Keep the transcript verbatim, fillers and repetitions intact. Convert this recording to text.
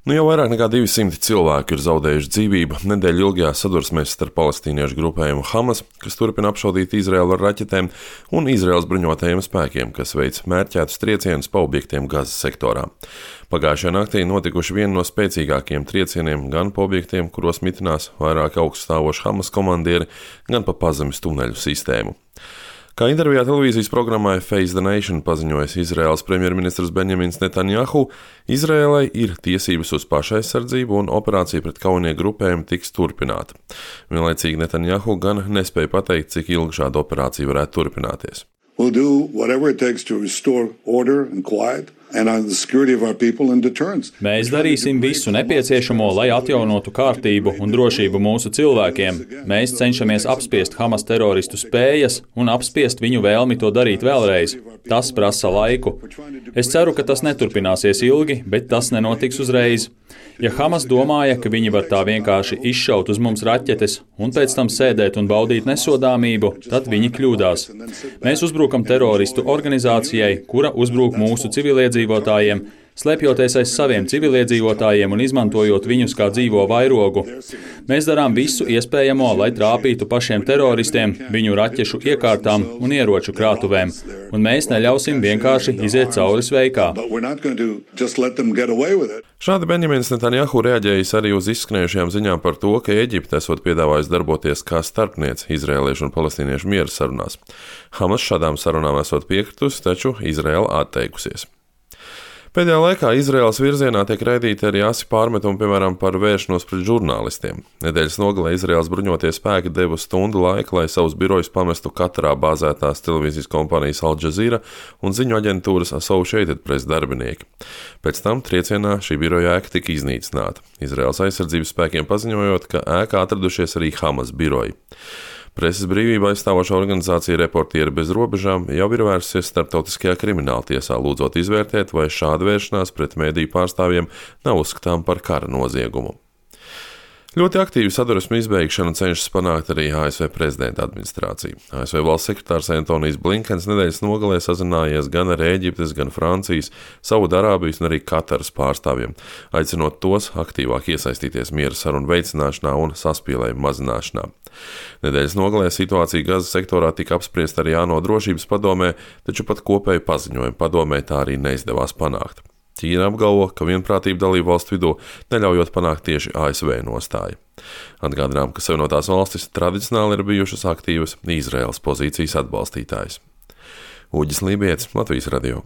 Nu, jau vairāk nekā divi simti cilvēku ir zaudējuši dzīvību nedēļu ilgajā sadursmēs starp palestīniešu grupējumu Hamas, kas turpina apšaudīt Izraēlu ar raķetēm, un Izraēlas bruņotajiem spēkiem, kas veic mērķētus triecienus pa objektiem Gazas sektorā. Pagājušajā naktī notikuši vieni no spēcīgākajiem triecieniem gan pa objektiem, kuros mitinās vairāk augststāvoši Hamas komandieri, gan pa pazemes tuneļu sistēmu. Kā intervijā televīzijas programmai Face the Nation paziņojis Izraēlas premjerministrs Benjamins Netanjahu, Izraēlai ir tiesības uz pašaizsardzību un operācija pret kaujinieku grupējumu tiks turpināta. Vienlaicīgi Netanjahu gan nespēja pateikt, cik ilgi šāda operācija varētu turpināties. We'll do whatever it takes to restore order and quiet and on the security of our people and deterrence. Mēs darīsim visu nepieciešamo, lai atjaunotu kārtību un drošību mūsu cilvēkiem. Mēs cenšamies apspiest Hamas teroristu spējas un apspiest viņu vēlmi to darīt vēlreiz. Tas prasa laiku. Es ceru, ka tas neturpināsies ilgi, bet tas nenotiks uzreiz. Ja Hamas domāja, ka viņi var tā vienkārši izšaut uz mums raķetes un pēc tam sēdēt un baudīt nesodāmību, tad viņi kļūdās. Mēs uzbrukam teroristu organizācijai, kura uzbruk mūsu civiliedzīvotājiem, slēpjoties aiz saviem civiliedzīvotājiem un izmantojot viņus kā dzīvo vairogu. Mēs darām visu iespējamo, lai trāpītu pašiem teroristiem, viņu raķešu iekārtām un ieroču krātuvēm, un mēs neļausim vienkārši iziet cauri sveikā. Šādi Benjamins Netanjahu reaģējis arī uz izskanējušajām ziņām par to, ka Eģipte esot piedāvājusi darboties kā starpniece izraēliešu un palestīniešu miera sarunās. Hamas šādām sarunām esot piekritusi, taču Izraēla atteikusies. Pēdējā laikā Izraēlas virzienā tiek raidīti arī asi pārmetumi, piemēram, par vēršanos pret žurnālistiem. Nedēļas nogalē Izraēlas bruņotie spēki deva stundu laika, lai savus birojus pamestu Katarā bāzētās televīzijas kompānijas Al Jazeera un ziņu aģentūras Associated Press darbinieki. Pēc tam triecienā šī biroja ēka tika iznīcināta. Izraēlas aizsardzības spēkiem paziņojot, ka ēkā atradušies arī Hamas biroji. Preses brīvība aizstāvošā organizācija Reportieri bez robežām jau ir vērsusies starptautiskajā krimināla tiesā, lūdzot izvērtēt, vai šāda vēršanās pret mediju pārstāvjiem nav uzskatām par kara noziegumu. Ļoti aktīvu sadursmu izbeigšanu cenšas panākt arī A S V prezidenta administrācija. A S V valsts sekretārs Antonijs Blinkens nedēļas nogalē sazinājies gan ar Ēģiptes, gan Francijas, Saudarābijas un arī Kataras pārstāvjiem, aicinot tos aktīvāk iesaistīties miera sarunu veicināšanā un saspīlējumu mazināšanā. Nedēļas nogalē situācija Gazas sektorā tika apspriesta arī ANO drošības padomē, taču pat kopēju paziņojumu padomē tā arī neizdevās panākt. Ķīna apgalvo, ka vienprātība dalību valstu vidū neļaujot panākt tieši A S V nostāju. Atgādinām, ka Savienotās valstis tradicionāli ir bijušas aktīvas Izraēlas pozīcijas atbalstītājas. Uģis Lībietis, Latvijas radio.